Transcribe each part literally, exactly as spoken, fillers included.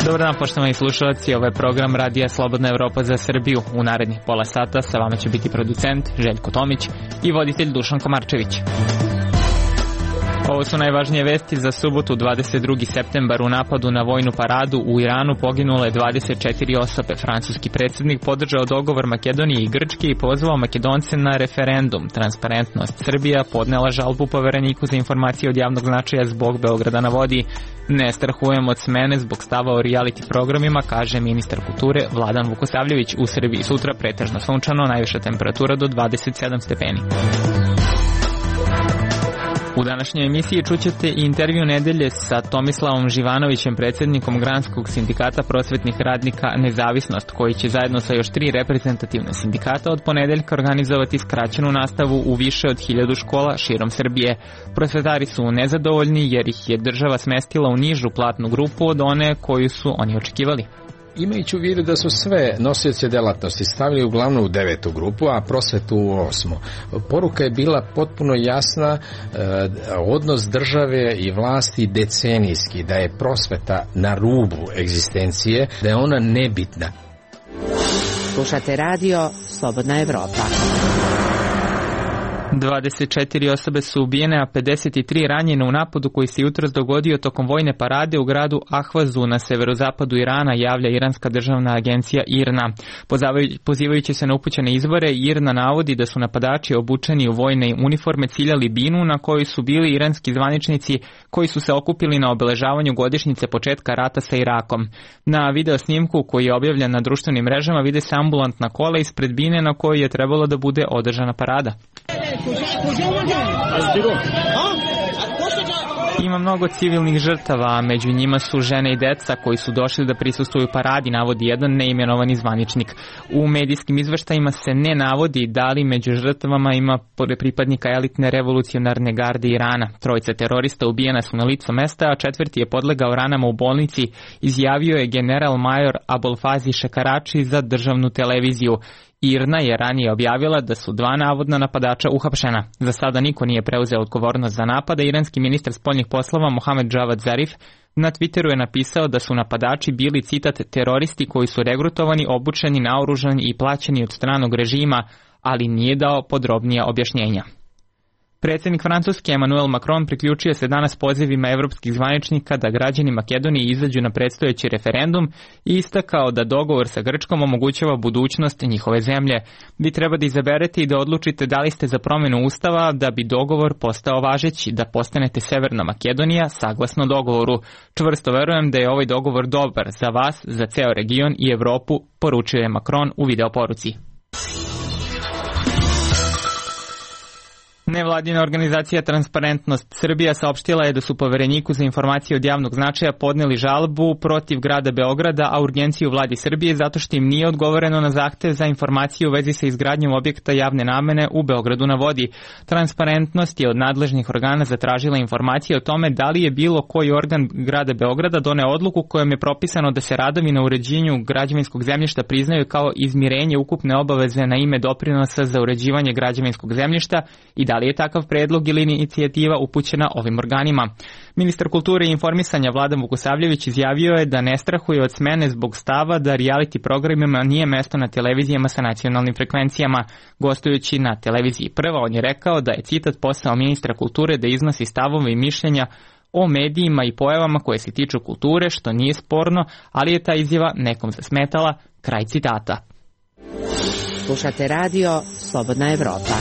Dobar dan, poštovani slušalci, ovo je program Radija Slobodna Evropa za Srbiju. U narednih pola sata sa vama će biti producent Željko Tomić i voditelj Dušan Komarčević. Ovo su najvažnije vesti za subotu dvadeset drugi septembar. U napadu na vojnu paradu u Iranu poginulo je dvadeset četiri osobe. Francuski predsjednik podržao dogovor Makedonije i Grčke i pozvao Makedonce na referendum. Transparentnost Srbija podnela žalbu Povereniku za informacije od javnog značaja zbog Beograda na vodi. Ne strahujem od smene zbog stava o reality programima, kaže ministar kulture Vladan Vukosavljević. U Srbiji sutra pretežno sunčano, najviša temperatura do dvadeset sedam stepeni. U današnjoj emisiji čućete i intervju nedelje sa Tomislavom Živanovićem, predsjednikom Granskog sindikata prosvetnih radnika Nezavisnost, koji će zajedno sa još tri reprezentativne sindikata od ponedeljka organizovati skraćenu nastavu u više od hiljadu škola širom Srbije. Prosvetari su nezadovoljni jer ih je država smestila u nižu platnu grupu od one koju su oni očekivali. Imajući u vidu da su sve nosioce delatnosti stavili uglavnom u devetu grupu, a prosvetu u osmu. Poruka je bila potpuno jasna, eh, odnos države i vlasti decenijski, da je prosveta na rubu egzistencije, da je ona nebitna. Slušate radio Slobodna Evropa. dvadeset četiri osobe su ubijene, a pedeset tri ranjene u napadu koji se jutros dogodio tokom vojne parade u gradu Ahvazu na severozapadu Irana, javlja iranska državna agencija IRNA. Pozivajući se na upućene izvore, IRNA navodi da su napadači obučeni u vojne uniforme ciljali binu na kojoj su bili iranski zvaničnici koji su se okupili na obeležavanju godišnjice početka rata sa Irakom. Na video snimku koji je objavljen na društvenim mrežama vide se ambulantna kola ispred bine na kojoj je trebalo da bude održana parada. Ima mnogo civilnih žrtava, a među njima su žene i deca koji su došli da prisustvuju paradi, navodi jedan neimenovani zvaničnik. U medijskim izveštajima se ne navodi da li među žrtvama ima pripadnika elitne revolucionarne garde Irana. Trojica terorista ubijena su na licu mesta, a četvrti je podlegao ranama u bolnici, izjavio je general major Abolfazi Šekarači za državnu televiziju. IRNA je ranije objavila da su dva navodna napadača uhapšena. Za sada niko nije preuzeo odgovornost za napad, a iranski ministar spoljnih poslova Mohamed Javad Zarif na Twitteru je napisao da su napadači bili, citat, teroristi koji su regrutovani, obučeni, naoružani i plaćeni od stranog režima, ali nije dao podrobnija objašnjenja. Predsjednik Francuske Emmanuel Macron priključio se danas pozivima evropskih zvaničnika da građani Makedonije izađu na predstojeći referendum i istakao da dogovor sa Grčkom omogućava budućnost njihove zemlje. Vi treba da izaberete i da odlučite da li ste za promjenu ustava da bi dogovor postao važeći, da postanete Severna Makedonija saglasno dogovoru. Čvrsto verujem da je ovaj dogovor dobar za vas, za ceo region i Evropu, poručio je Macron u videoporuci. Nevladina organizacija Transparentnost Srbija saopštila je da su Povereniku za informacije od javnog značaja podneli žalbu protiv grada Beograda, a urgenciju vladi Srbije zato što im nije odgovoreno na zahtev za informacije u vezi sa izgradnjom objekta javne namene u Beogradu na vodi. Transparentnost je od nadležnih organa zatražila informacije o tome da li je bilo koji organ grada Beograda doneo odluku kojom je propisano da se radovi na uređenju građevinskog zemljišta priznaju kao izmirenje ukupne obaveze na ime doprinosa za uređivanje građevinskog zemljišta i da li je takav predlog ili inicijativa upućena ovim organima. Ministar kulture i informisanja Vladan Vukosavljević izjavio je da ne strahuje od smene zbog stava da reality programima nije mesto na televizijama sa nacionalnim frekvencijama. Gostujući na televiziji Prva, on je rekao da je, citat, posao ministra kulture da iznosi stavove i mišljenja o medijima i pojavama koje se tiču kulture, što nije sporno, ali je ta izjava nekom zasmetala, kraj citata. Slušate radio Slobodna Evropa.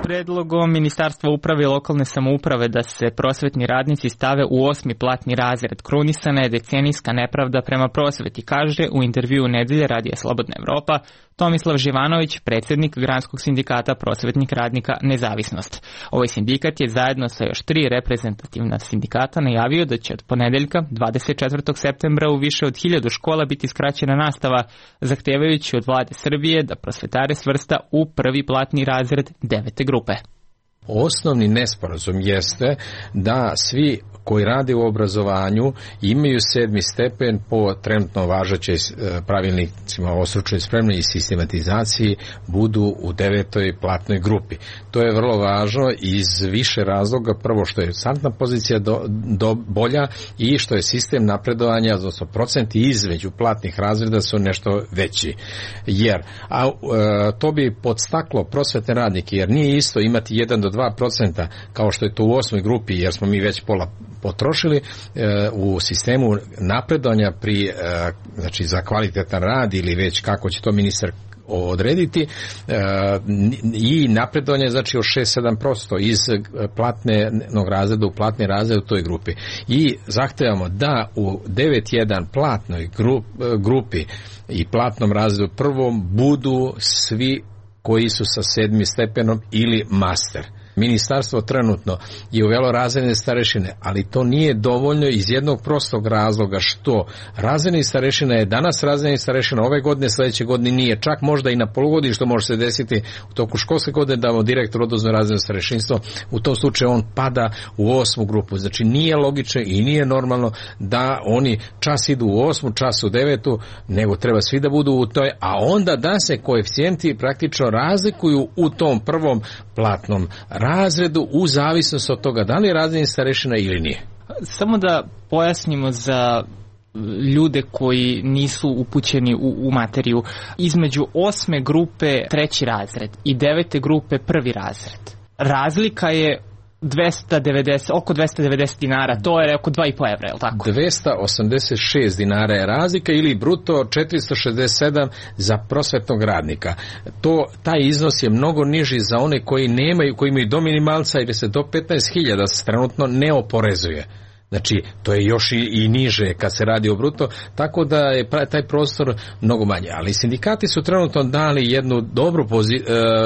Predlogom Ministarstva uprave i lokalne samouprave da se prosvetni radnici stave u osmi platni razred krunisana je decenijska nepravda prema prosveti, kaže u intervjuu nedelje Radija Slobodna Evropa Tomislav Živanović, predsjednik Granskog sindikata prosvetnih radnika Nezavisnost. Ovaj sindikat je zajedno sa još tri reprezentativna sindikata najavio da će od ponedeljka dvadeset četvrtog septembra u više od hiljadu škola biti skraćena nastava, zahtevajući od vlade Srbije da prosvetare svrsta u prvi platni razred devete grupe. Osnovni nesporazum jeste da svi koji rade u obrazovanju imaju sedmi stepen po trenutno važećoj pravilnicima o stručnoj spremi i sistematizaciji budu u devetoj platnoj grupi. To je vrlo važno iz više razloga. Prvo što je startna pozicija do, do bolja i što je sistem napredovanja, odnosno procenti između platnih razreda su nešto veći. Jer a, e, to bi podstaklo prosvetne radnike, jer nije isto imati jedan do dva procenta kao što je to u osmoj grupi, jer smo mi već pola potrošili e, u sistemu napredovanja pri, e, znači za kvalitetan rad ili već kako će to ministar odrediti e, i napredovanje znači od šest do sedam posto iz platnog razreda u platni razred u toj grupi. I zahtevamo da u devet jedan platnoj grup, grupi i platnom razredu prvom budu svi koji su sa sedmim stepenom ili master. Ministarstvo trenutno je uvelo razredne starešine, ali to nije dovoljno iz jednog prostog razloga što razredni starešina je danas razredni starešina, ove godine, sledeće godine nije, čak možda i na polugodištu može se desiti u toku školske godine da mu direktor oduzme razredno starešinstvo, u tom slučaju on pada u osmu grupu. Znači nije logično i nije normalno da oni čas idu u osmu, čas u devetu, nego treba svi da budu u toj, a onda da se koeficijenti praktično razlikuju u tom prvom platnom razredu u zavisnosti od toga da li je razredni starešina ili nije. Samo da pojasnimo za ljude koji nisu upućeni u, u materiju. Između osme grupe treći razred i devete grupe prvi razred. Razlika je dvesta devedeset, oko dvesta devedeset dinara, to je oko dva i po evra, je li tako? dvesta osamdeset šest dinara je razlika ili bruto četiristo šezdeset sedam za prosvetnog radnika. To, taj iznos je mnogo niži za one koji nemaju, koji imaju do minimalca ili se do petnaest hiljada se trenutno ne oporezuje. Znači, to je još i, i niže kad se radi o bruto, tako da je taj prostor mnogo manje. Ali sindikati su trenutno dali jednu dobru pozi,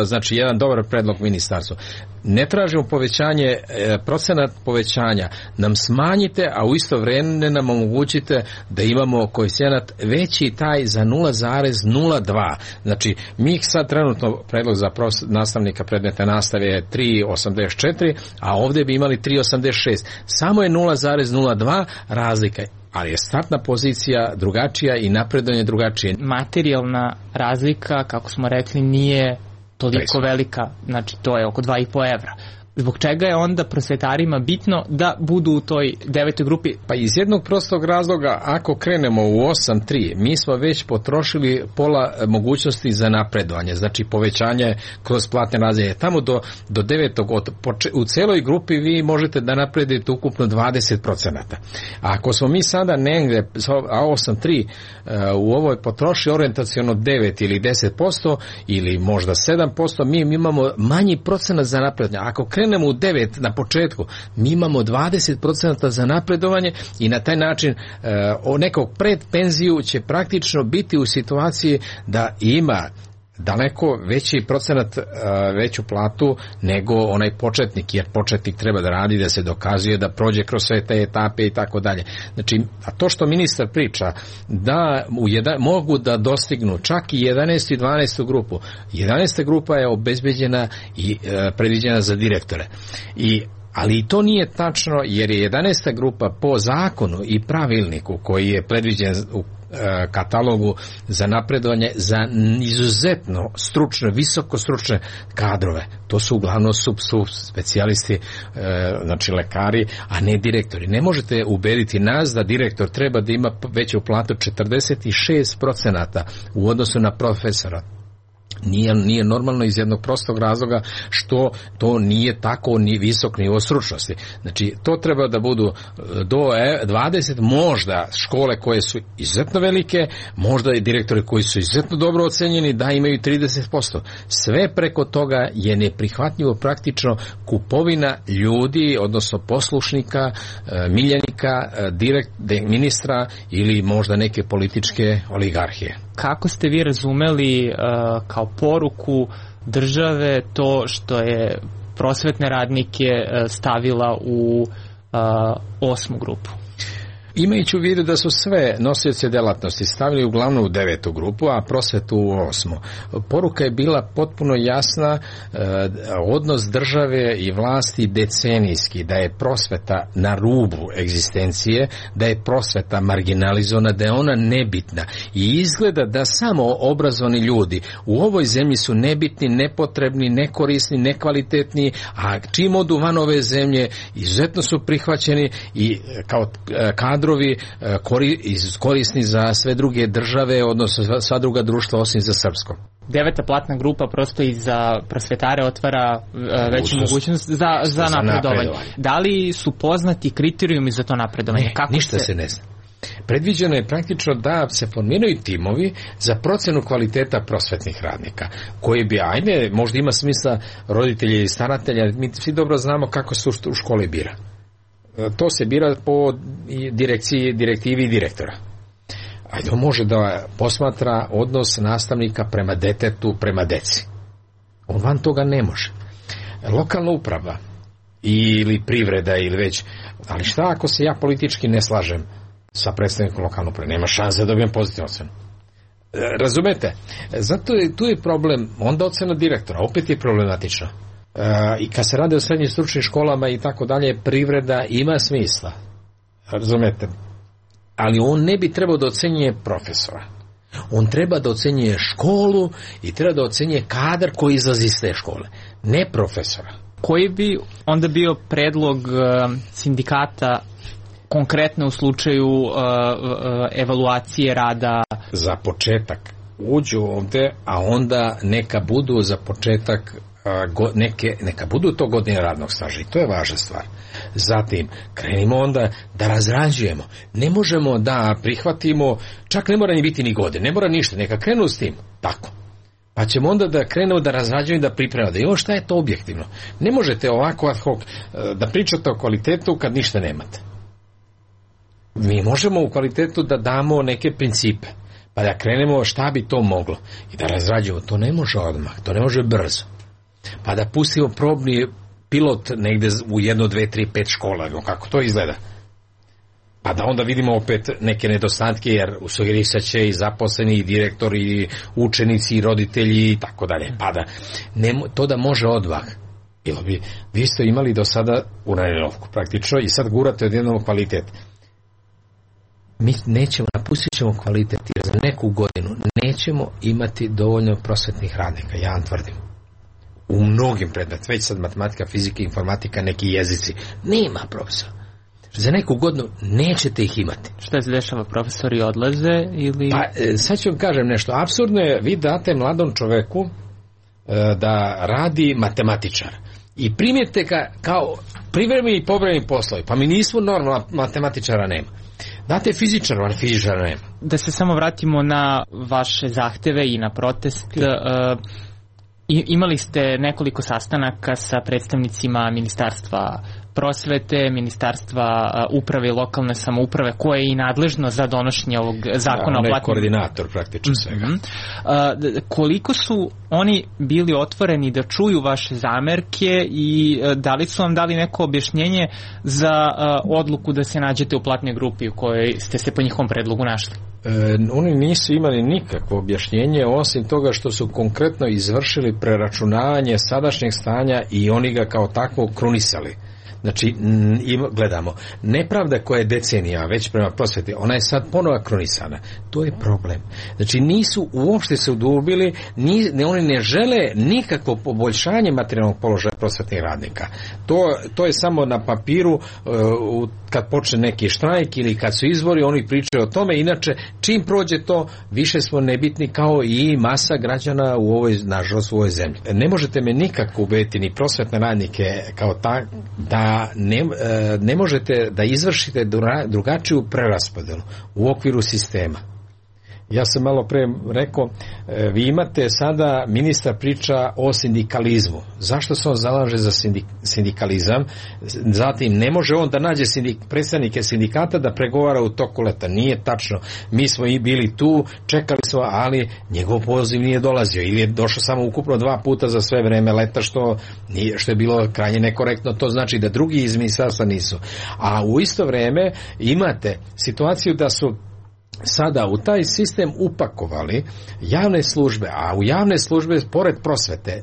znači jedan dobar predlog ministarstvu. Ne tražimo povećanje, procenat povećanja nam smanjite, a u isto vreme nam omogućite da imamo koeficijenat veći taj za nula zarez nula dva. Znači, mi sad trenutno predlog za pros, nastavnika predmetne nastave je tri zarez osamdeset četiri, a ovdje bi imali tri zarez osamdeset šest. Samo je nula zarez nula dva razlika. Ali je startna pozicija drugačija i napredovanje drugačije. Materijalna razlika, kako smo rekli, nije toliko velika, znači to je oko dva i po evra. Zbog čega je onda prosvetarima bitno da budu u toj devetoj grupi? Pa iz jednog prostog razloga, ako krenemo u osam tri, mi smo već potrošili pola mogućnosti za napredovanje, znači povećanje kroz platne razrede. Tamo do, do devetog, od, u celoj grupi vi možete da napredite ukupno dvadeset procenata. A ako smo mi sada negde, a osam tri, u ovoj potroši orijentaciono devet ili deset posto ili možda sedam posto, mi imamo manji procenat za napredovanje. Ako krenemo u devet na početku, mi imamo dvadeset procenata za napredovanje i na taj način e, nekog pred penziju će praktično biti u situaciji da ima daleko veći procenat, veću platu nego onaj početnik, jer početnik treba da radi, da se dokazuje, da prođe kroz sve te etape i tako dalje. Znači, a to što ministar priča, da u jedan, mogu da dostignu čak i jedanaestu i dvanaestu grupu. jedanaesta grupa je obezbeđena i e, predviđena za direktore. I ali i to nije tačno, jer je jedanaesta grupa po zakonu i pravilniku koji je predviđen u katalogu za napredovanje za izuzetno stručne, visoko stručne kadrove. To su uglavnom sub, sub specijalisti, e, znači lekari, a ne direktori. Ne možete ubediti nas da direktor treba da ima veću platu četrdeset šest procenata u odnosu na profesora. Nije, nije normalno iz jednog prostog razloga što to nije tako ni visok nivo stručnosti. Znači, to treba da budu do dvadeset, možda škole koje su izuzetno velike, možda i direktori koji su izuzetno dobro ocenjeni da imaju trideset posto. Sve preko toga je neprihvatljivo praktično kupovina ljudi, odnosno poslušnika, miljenika, direkt, ministra ili možda neke političke oligarhije. Kako ste vi razumeli uh, kao poruku države to što je prosvetne radnike uh, stavila u uh, osmu grupu? Imajući u vidu da su sve nosioce delatnosti stavili uglavnom u devetu grupu, a prosvetu u osmu, poruka je bila potpuno jasna, e, odnos države i vlasti decenijski, da je prosveta na rubu egzistencije, da je prosveta marginalizovana, da je ona nebitna i izgleda da samo obrazovani ljudi u ovoj zemlji su nebitni, nepotrebni, nekorisni, nekvalitetni, a čim odu van ove zemlje izuzetno su prihvaćeni i kao kadrovi korisni za sve druge države, odnosno sva druga društva osim za srpsko. Deveta platna grupa prosto i za prosvetare otvara veću mogućnost za, za, za napredovanje. napredovanje. Da li su poznati kriterijumi za to napredovanje? Ne, Kako ništa se... se ne zna. Predviđeno je praktično da se formiraju timovi za procenu kvaliteta prosvetnih radnika, koji bi, ajde, možda ima smisla roditelji i staratelja, mi svi dobro znamo kako se u školi bira. To se bira po direkciji, direktivi direktora. Ajde, on može da posmatra odnos nastavnika prema detetu, prema deci. On van toga ne može. Lokalna uprava ili privreda ili već, ali šta ako se ja politički ne slažem sa predstavnikom lokalne uprave? Nema šanse da dobijem pozitivnu ocenu. Razumete? Zato je, tu je problem, onda ocena direktora, opet je problematično. Uh, i kad se radi o srednjim stručnim školama i tako dalje, privreda ima smisla, razumete, ali on ne bi trebao da ocenjuje profesora, on treba da ocenjuje školu i treba da ocenjuje kadar koji izlazi iz te škole, ne profesora. Koji bi onda bio predlog uh, sindikata konkretno u slučaju uh, uh, evaluacije rada? Za početak uđu ovde, a onda neka budu za početak Neke, neka budu to godine radnog staža i to je važna stvar. Zatim krenimo onda da razrađujemo, ne možemo da prihvatimo, čak ne mora ni biti ni godine, ne mora ništa, neka krenu s tim tako, pa ćemo onda da krenemo da razrađujemo i da pripremamo, da imamo šta je to objektivno. Ne možete ovako ad hoc da pričate o kvalitetu kad ništa nemate. Mi možemo u kvalitetu da damo neke principe, pa da krenemo šta bi to moglo i da razrađujemo. To ne može odmah, to ne može brzo. Pa da pustimo probni pilot negde u jedno, dve, tri, pet škola, kako to izgleda. Pa da onda vidimo opet neke nedostatke, jer sugerisat će i zaposleni, i direktori, i učenici, i roditelji, i tako dalje. Pa da, ne, to da može odmah. Bilo bi, vi ste imali do sada uranovku praktično i sad gurate od jednog kvalitet. Mi nećemo, napustit ćemo kvalitet, jer za neku godinu nećemo imati dovoljno prosvetnih radnika, ja vam tvrdim. U mnogim predmetima, već sad matematika, fizika, informatika, neki jezici, nema profesora. Za neku godinu nećete ih imati. Šta se dešava, profesori odlaze ili... Pa, sad ću vam kažem nešto. Apsurdno je, vi date mladom čoveku da radi matematičar i primijete ga kao privremeni i povremeni poslovi. Pa mi nismo normalno, matematičara nema. Date fizičara, ali fizičara nema. Da se samo vratimo na vaše zahteve i na protest. Uh, imali ste nekoliko sastanaka sa predstavnicima Ministarstva prosvete, Ministarstva uprave i lokalne samouprave, koje je i nadležno za donošenje ovog zakona. Da, on je o platnim... koordinator praktično svega. Mm-hmm. Uh, koliko su oni bili otvoreni da čuju vaše zamerke i uh, da li su vam dali neko objašnjenje za uh, odluku da se nađete u platnoj grupi u kojoj ste se po njihovom predlogu našli? E, oni nisu imali nikakvo objašnjenje osim toga što su konkretno izvršili preračunavanje sadašnjeg stanja i oni ga kao takvo krunisali. Znači, im, gledamo, nepravda koja je decenija već prema prosveti, ona je sad ponovo kronisana. To je problem. Znači, nisu uopšte se udubili, ni, ne, oni ne žele nikakvo poboljšanje materijalnog položaja prosvetnih radnika. To, to je samo na papiru, uh, kad počne neki štrajk ili kad su izbori, oni pričaju o tome. Inače, čim prođe to, više smo nebitni kao i masa građana u ovoj, nažalost, u ovoj zemlji. Ne možete me nikako ubediti ni prosvetne radnike kao ta, da Ne, ne možete da izvršite drugačiju preraspodelu u okviru sistema. Ja sam malo pre rekao, vi imate sada, ministar priča o sindikalizmu. Zašto se on zalaže za sindik, sindikalizam? Zatim, ne može on da nađe sindik, predstavnike sindikata da pregovara u toku leta. Nije tačno. Mi smo i bili tu, čekali smo, ali njegov poziv nije dolazio. Ili je došao samo ukupno dva puta za sve vreme leta, što, nije, što je bilo krajnje nekorektno. To znači da drugi iz ministarstva nisu. A u isto vreme imate situaciju da su sada u taj sistem upakovali javne službe, a u javne službe pored prosvete,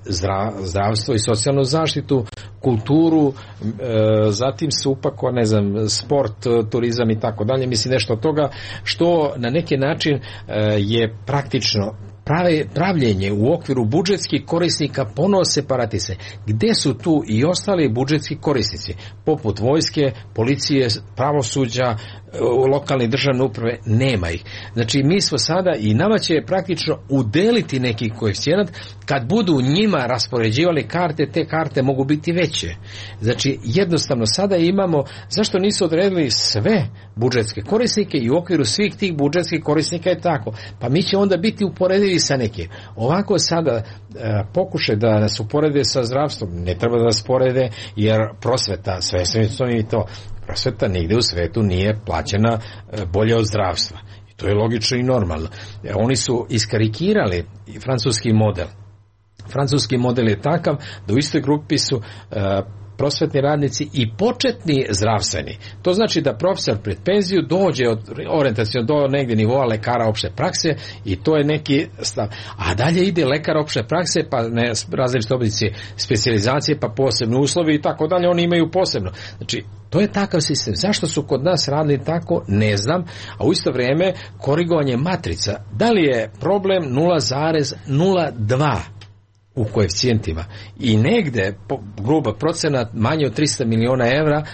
zdravstvo i socijalnu zaštitu, kulturu, e, zatim se upako, ne znam, sport, turizam i tako dalje, mislim nešto od toga što na neki način e, je praktično Prave, pravljenje u okviru budžetskih korisnika ponovo separatise. Gde su tu i ostali budžetski korisnici, poput vojske, policije, pravosuđa, lokalne državne uprave? Nema ih. Znači, mi smo sada i nama će praktično udeliti neki koeficijent. Kad budu njima raspoređivali karte, te karte mogu biti veće. Znači, jednostavno sada imamo, zašto nisu odredili sve budžetske korisnike i u okviru svih tih budžetskih korisnika je tako? Pa mi će onda biti uporedivi sa nekim. Ovako sada e, pokušaj da nas uporede sa zdravstvom, ne treba da nas porede, jer prosveta, sve sve i to, prosveta nigde u svetu nije plaćena e, bolje od zdravstva. I to je logično i normalno. E, oni su iskarikirali francuski model. Francuski model je takav da u istoj grupi su e, prosvetni radnici i početni zdravstveni. To znači da profesor pred penziju dođe od orijentacijno do negdje nivoa lekara opšte prakse i to je neki stav. A dalje ide lekar opšte prakse, pa ne, različite oblici specijalizacije, pa posebni uslovi i tako dalje, oni imaju posebno. Znači, to je takav sistem. Zašto su kod nas radili tako, ne znam, a u isto vrijeme korigovanje matrica. Da li je problem nula zarez nula dva u koeficijentima i negde po, gruba procenat manje od trista miliona evra,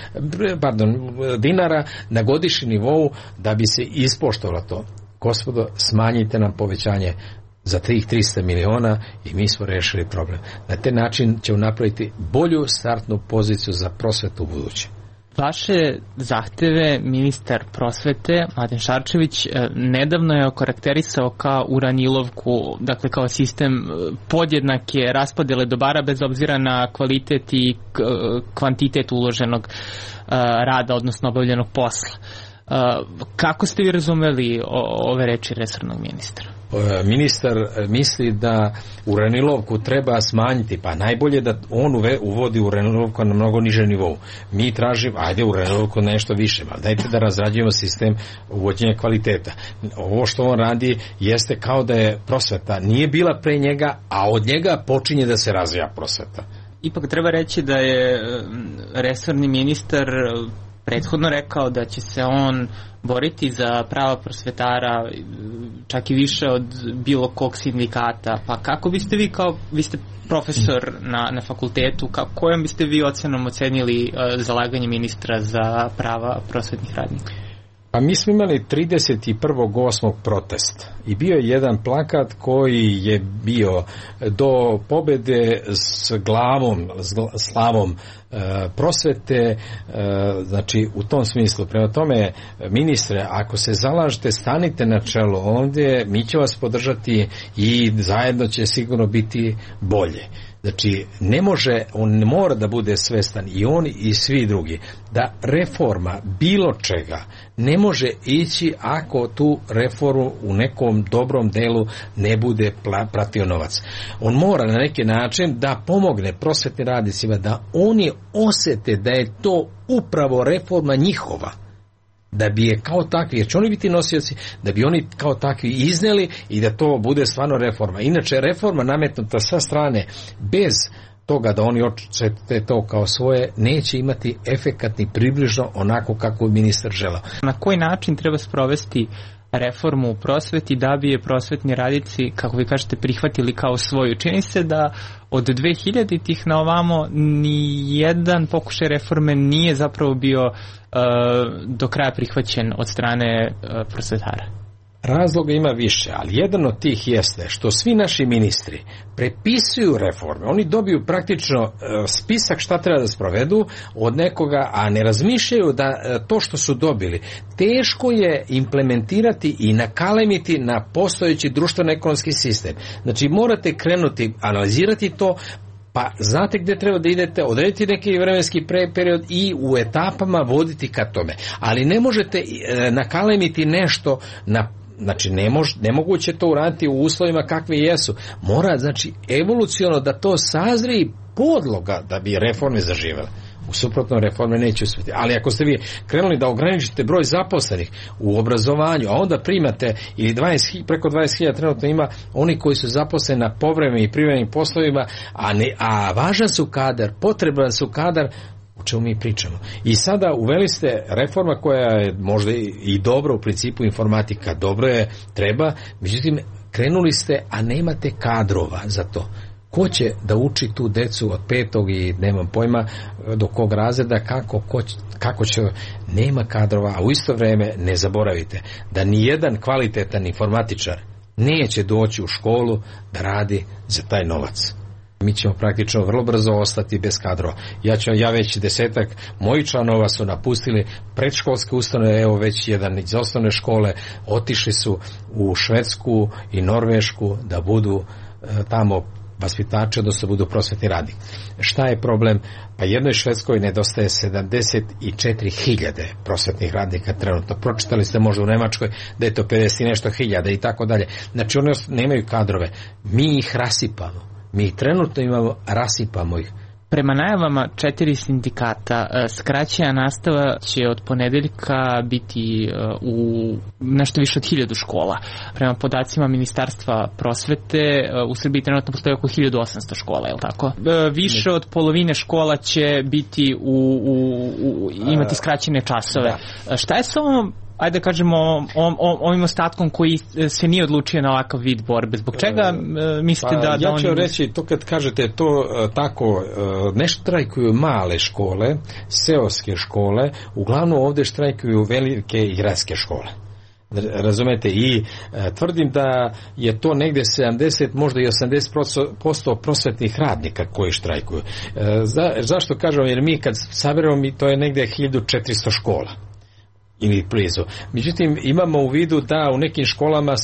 pardon, dinara na godišnjem nivou da bi se ispoštovalo to. Gospodo, smanjite nam povećanje za tih trista miliona i mi smo rešili problem. Na taj način ćemo napraviti bolju startnu poziciju za prosvetu u buduće. Vaše zahteve ministar prosvete Mladen Šarčević nedavno je okarakterisao kao uranilovku, dakle kao sistem podjednake raspodjele dobara bez obzira na kvalitet i kvantitet uloženog rada, odnosno obavljenog posla. Kako ste vi razumeli ove reči resornog ministra? Ministar misli da uranilovku treba smanjiti, pa najbolje da on uvodi uranilovku na mnogo niže nivou. Mi tražimo, ajde uranilovku nešto više, ali dajte da razrađujemo sistem uvođenja kvaliteta. Ovo što on radi jeste kao da je prosveta nije bila pre njega, a od njega počinje da se razvija prosveta. Ipak treba reći da je resorni ministar prethodno rekao da će se on boriti za prava prosvetara čak i više od bilo kog sindikata. Pa kako biste vi kao, vi ste profesor na, na fakultetu, kako, kojom biste vi ocenom ocenili uh, zalaganje ministra za prava prosvetnih radnika? Pa mi smo imali trideset prvog osmog protest i bio je jedan plakat koji je bio do pobede s glavom, s slavom e, prosvete, e, znači u tom smislu. Prema tome, ministre, ako se zalažete, stanite na čelo ovdje, mi će vas podržati i zajedno će sigurno biti bolje. Znači, ne može, on ne mora da bude svestan, i on i svi drugi, da reforma bilo čega ne može ići ako tu reformu u nekom dobrom delu ne bude pratio novac. On mora na neki način da pomogne prosvetnim radnicima da oni osete da je to upravo reforma njihova, da bi je kao takvi, jer će oni biti nosioci, da bi oni kao takvi izneli i da to bude stvarno reforma. Inače, reforma nametnuta sa strane bez toga da oni očete to kao svoje, neće imati efekat ni približno onako kako je ministar želao. Na koji način treba sprovesti reformu u prosveti da bi je prosvetni radnici, kako vi kažete, prihvatili kao svoju? Čini se da od dve hiljaditih na ovamo ni jedan pokušaj reforme nije zapravo bio uh, do kraja prihvaćen od strane uh, prosvetara. Razloga ima više, ali jedan od tih jeste što svi naši ministri prepisuju reforme. Oni dobiju praktično spisak šta treba da sprovedu od nekoga, a ne razmišljaju da to što su dobili teško je implementirati i nakalemiti na postojeći društveno-ekonomski sistem. Znači morate krenuti, analizirati to, pa znate gde treba da idete, odrediti neki vremenski period i u etapama voditi ka tome. Ali ne možete nakalemiti nešto na Znači, ne mož, nemoguće to uraditi u uslovima kakvi jesu. Mora, znači, evoluciono da to sazri podloga da bi reforme zaživele. U suprotnom reforme neće uspjeti. Ali ako ste vi krenuli da ograničite broj zaposlenih u obrazovanju, a onda primate ili dvadeset, preko dvadeset hiljada trenutno ima oni koji su zaposleni na povremenim i privremenim poslovima, a, ne, a važan su kadar, potreban su kadar, o čemu mi pričamo. I sada uveli ste reforma koja je možda i dobra u principu, informatika dobro je, treba, međutim krenuli ste, a nemate kadrova za to. Ko će da uči tu decu od petog i nemam pojma do kog razreda, kako, ko, kako će, nema kadrova, a u isto vrijeme ne zaboravite da ni jedan kvalitetan informatičar neće doći u školu da radi za taj novac. Mi ćemo praktično vrlo brzo ostati bez kadrova. Ja, ću, ja već desetak mojih članova su napustili predškolske ustanove, evo već jedan iz osnovne škole, otišli su u Švedsku i Norvešku da budu e, tamo vaspitači, odnosno budu prosvetni radnik. Šta je problem? Pa jednoj Švedskoj nedostaje sedamdeset četiri hiljade prosvetnih radnika trenutno. Pročitali ste možda u Nemačkoj da je to pedeset i nešto hiljada i tako dalje. Znači oni nemaju kadrove. Mi ih rasipamo. Mi trenutno imamo, rasipamo ih. Prema najavama četiri sindikata, skraćena nastava će od ponedeljka biti u nešto više od hiljadu škola. Prema podacima Ministarstva prosvete, u Srbiji trenutno postoji oko hiljadu osamsto škola, je li tako? Više od polovine škola će biti u, u, u imati skraćene časove. Da. Šta je s ovom, ajde da kažemo, o, o, ovim ostatkom koji se nije odlučio na ovakav vid borbe? Zbog čega e, mislite pa, da, da ja ću oni... reći, to kad kažete to tako, ne štrajkuju male škole, seoske škole, uglavnom ovdje štrajkuju velike i gradske škole. Razumete, i e, tvrdim da je to negdje sedamdeset, možda i osamdeset posto prosvetnih radnika koji štrajkuju. E, za, zašto kažem? Jer mi kad saberemo, to je negdje hiljadu četiristo škola ili blizu. Međutim, imamo u vidu da u nekim školama e,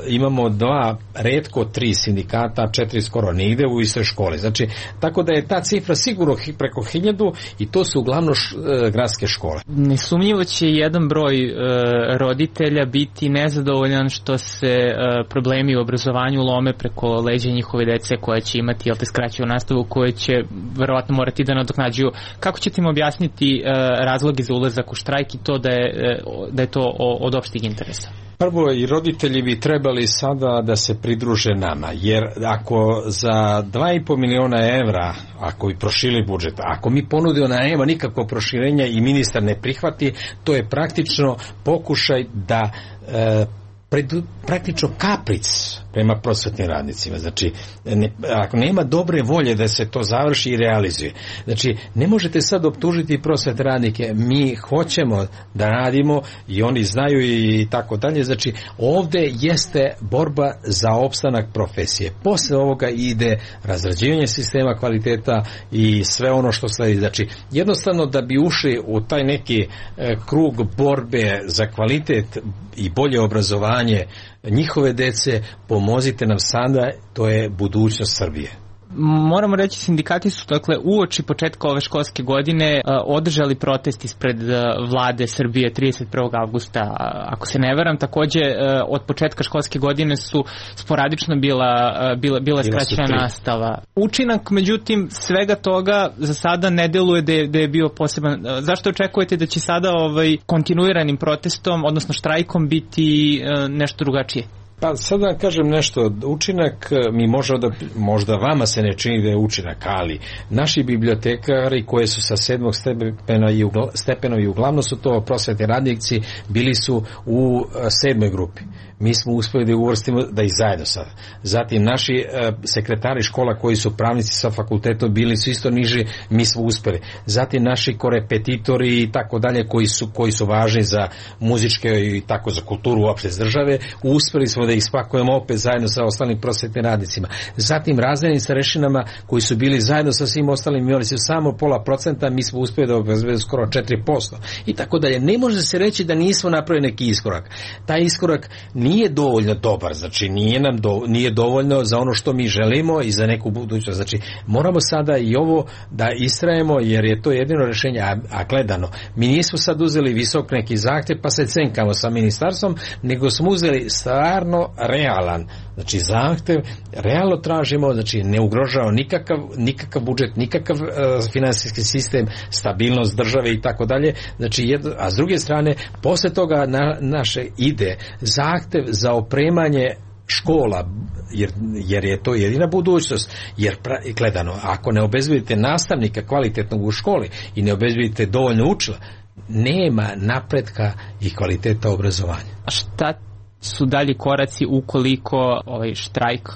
imamo dva, retko tri sindikata, četiri skoro ne ide u istoj školi. Znači, tako da je ta cifra sigurno preko hiljadu i to su uglavnom š, e, gradske škole. Nesumnjivo će jedan broj e, roditelja biti nezadovoljan što se e, problemi u obrazovanju lome preko leđa njihove dece koja će imati, jel te, skraćenu nastavu, koje će verovatno morati da nadoknađuju. Kako ćete im objasniti e, razloge za ulazak u štrajk i to da je da je to od opšteg interesa? Prvo, i roditelji bi trebali sada da se pridruže nama, jer ako za dva i po miliona evra, ako bi prošili budžet, ako mi ponudimo da nema nikakvo proširenja i ministar ne prihvati, to je praktično pokušaj da e, pred, praktično kapric prema prosvetnim radnicima. Znači, ne, ako nema dobre volje da se to završi i realizuje. Znači, ne možete sad optužiti prosvetne radnike. Mi hoćemo da radimo i oni znaju i tako dalje. Znači, ovdje jeste borba za opstanak profesije. Posle ovoga ide razrađivanje sistema kvaliteta i sve ono što sledi. Znači, jednostavno da bi ušli u taj neki e, krug borbe za kvalitet i bolje obrazovanje njihove dece, pomozite nam sada, to je budućnost Srbije. Moramo reći, sindikati su dakle uoči početka ove školske godine održali protest ispred vlade Srbije trideset prvog avgusta, ako se ne varam. Takođe od početka školske godine su sporadično bila, bila, bila skraćena nastava. Učinak, međutim, svega toga za sada ne deluje da je, da je bio poseban. Zašto očekujete da će sada ovaj kontinuiranim protestom, odnosno štrajkom, biti nešto drugačije? Pa sad da kažem nešto, učinak mi možda, da, možda vama se ne čini da je učinak, ali naši bibliotekari koji su sa sedmog stepena i, ugla, stepena i uglavnom su to prosvetni radnici, bili su u sedmoj grupi. mi smo uspjeli da uvrstimo da i zajedno sada. Zatim naši e, sekretari škola koji su pravnici sa fakultetom bili su isto niži, mi smo uspjeli. Zatim naši korepetitori i tako dalje koji su, koji su važni za muzičke i tako za kulturu uopšte iz države, uspjeli smo da ih spakujemo opet zajedno sa ostalim prosvetnim radnicima. Zatim razredni starešinama koji su bili zajedno sa svim ostalim, imali su samo pola procenta, mi smo uspjeli da obezbedimo skoro četiri posto i tako dalje. Ne može se reći da nismo napravili neki iskorak. Taj iskorak nije dovoljno dobar, znači nije nam do, nije dovoljno za ono što mi želimo i za neku budućnost. Znači moramo sada i ovo da istrajemo jer je to jedino rješenje, a, a gledano. Mi nismo sad uzeli visok neki zahtjev pa se cenkamo sa ministarstvom, nego smo uzeli stvarno realan, znači zahtjev, realno tražimo, znači ne ugrožava nikakav, nikakav budžet, nikakav uh, finansijski sistem, stabilnost države i tako dalje. Znači, jedno, a s druge strane, posle toga na, naše ide zahtjev za opremanje škola, jer, jer je to jedina budućnost, jer pra, gledano, ako ne obezbedite nastavnika kvalitetnog u školi i ne obezbedite dovoljno učila, nema napretka i kvaliteta obrazovanja. A šta su dalji koraci ukoliko ovaj štrajk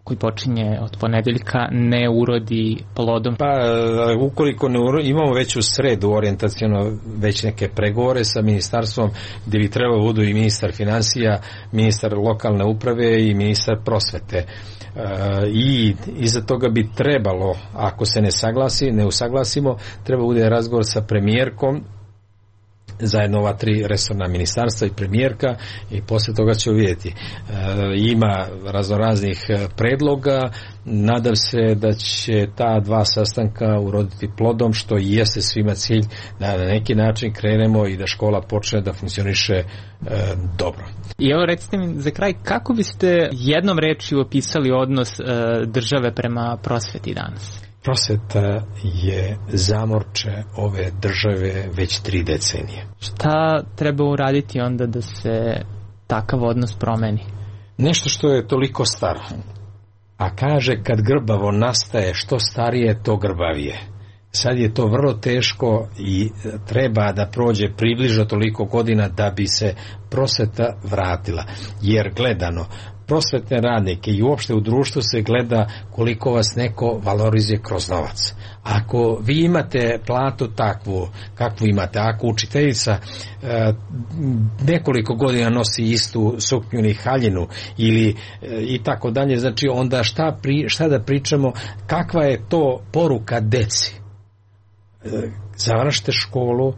koji počinje od ponedeljka ne urodi plodom? Pa ukoliko ne urodi, imamo već u sredu orijentaciono već neke pregovore sa ministarstvom gdje bi trebalo budu i ministar financija, ministar lokalne uprave i ministar prosvete. E, i iza toga bi trebalo, ako se ne saglasi, ne usaglasimo, treba bude razgovor sa premijerkom, zajedno ova tri resorna ministarstva i premijerka i poslije toga ćemo vidjeti. E, ima raznoraznih predloga, nadam se da će ta dva sastanka uroditi plodom, što i jeste svima cilj da na neki način krenemo i da škola počne da funkcioniše e, dobro. I evo recite mi za kraj, kako biste jednom rečju opisali odnos e, države prema prosveti danas? Prosveta je zamorče ove države već tri decenije. Šta treba uraditi onda da se takav odnos promeni? Nešto što je toliko staro. A kaže kad grbavo nastaje, što starije to grbavije. Sad je to vrlo teško i treba da prođe približno toliko godina da bi se prosveta vratila. Jer gledano, prosvetne radnike i uopšte u društvu se gleda koliko vas neko valorizuje kroz novac. Ako vi imate platu takvu kakvu imate, ako učiteljica e, nekoliko godina nosi istu suknju ili haljinu ili e, i tako dalje, znači onda šta, pri, šta da pričamo, kakva je to poruka deci? E, završite školu,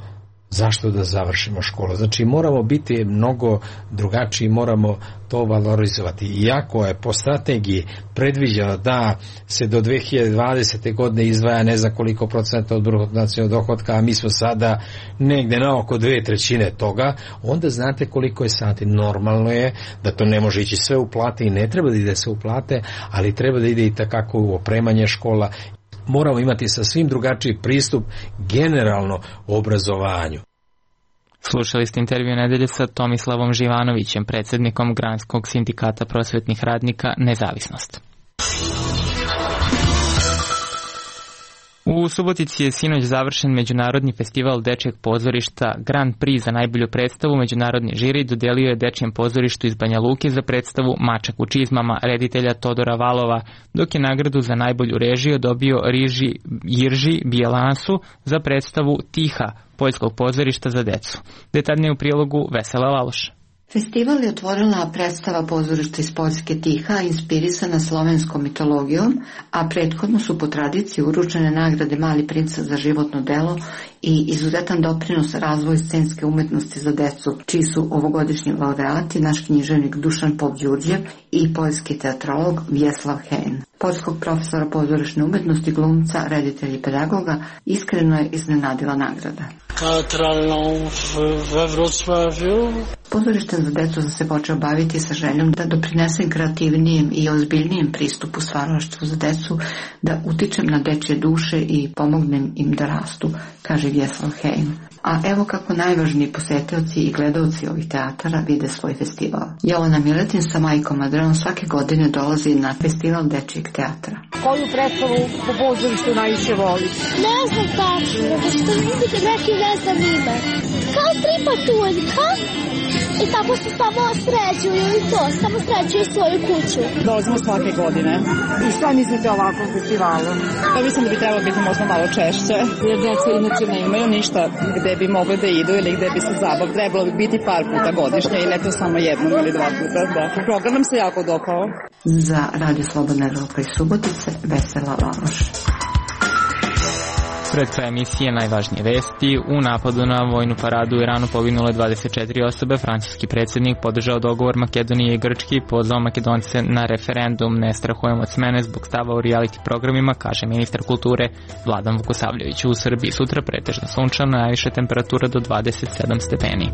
zašto da završimo školu? Znači moramo biti mnogo drugačiji, moramo to valorizovati. Iako je po strategiji predviđeno da se do dve hiljade dvadesete godine izdvaja ne znam koliko procenta od bruto nacionalnog dohotka, a mi smo sada negde na oko dve trećine toga, onda znate koliko je sati. Normalno je da to ne može ići sve u plate i ne treba da ide sve u plate, ali treba da ide i takako u opremanje škola. Moramo imati sasvim drugačiji pristup generalno obrazovanju. Slušali ste intervju nedelje sa Tomislavom Živanovićem, predsjednikom Granskog sindikata prosvetnih radnika Nezavisnost. U Subotici je sinoć završen Međunarodni festival dečjeg pozorišta. Grand Prix za najbolju predstavu međunarodni žiri dodelio je Dečjem pozorištu iz Banja Luke za predstavu Mačak u čizmama reditelja Todora Valova, dok je nagradu za najbolju režiju dobio Riži Jirži Bijelansu za predstavu Tiha poljskog pozorišta za decu. Detaljnije u prilogu Vesela Laloša. Festival je otvorila predstava pozorišta iz Poljske Tiha, inspirisana slovenskom mitologijom, a prethodno su po tradiciji uručene nagrade Mali princ za životno delo i izuzetan doprinos razvoju scenske umetnosti za decu, čiji su ovogodišnji laureati naš književnik Dušan Pop-Đurđev i poljski teatrolog Vjeslav Hein. Poljskog profesora pozorišne umetnosti, glumca, reditelja i pedagoga iskreno je iznenadila nagrada. Teatralną we Wrocławiu. Pozorištem za decu sam se počeo baviti sa željom da doprinesem kreativnijem i ozbiljnijem pristupu stvaralaštvu za decu, da utičem na dečje duše i pomognem im da rastu, kaže Vjeslav Hein. A evo kako najvažniji posetioci i gledaoci ovih teatara vide svoj festival. Jelena Miletin sa majkom Adrenom svake godine dolazi na festival dečjeg teatra. Koju predstavu po pozorištu najviše voli? Ne znam tačno, nego što vidite neki ne znam ime. Kao tripa tuljka. i tako se samo srećuju i to, samo srećuju svoju kuću. Dolazimo svake godine. I šta mislite o ovakvom festivalu? Pa mislim da bi trebalo biti možda malo češće, jer deca inače ne imaju ništa gde bi mogli da idu ili gde bi se zabav. Trebalo bi biti par puta godišnje i ne to samo jednom ili dva puta. Da. Program nam se jako dopao. Za Radio Slobodna Evropa iz Subotice, Vesela Laloš. Pred kraj emisije najvažnije vesti. U napadu na vojnu paradu u Iranu poginule dvadeset četiri osobe. Francuski predsjednik podržao dogovor Makedonije i Grčke i pozvao Makedonce na referendum. Ne strahujem od smene zbog stava u reality programima, kaže ministar kulture Vladan Vukosavljević. U Srbiji sutra pretežno sunčano, najviše temperatura do dvadeset sedam stepeni.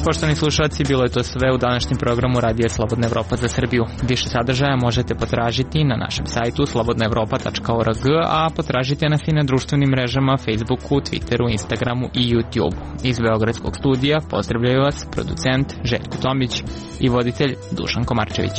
Poštovani slušalci, bilo je to sve u današnjem programu Radija Slobodna Evropa za Srbiju. Više sadržaja možete potražiti na našem sajtu slobodna evropa tačka org, a potražite nas i na društvenim mrežama Facebooku, Twitteru, Instagramu i YouTubeu. Iz Beogradskog studija pozdravljaju vas producent Željko Tomić i voditelj Dušan Komarčević.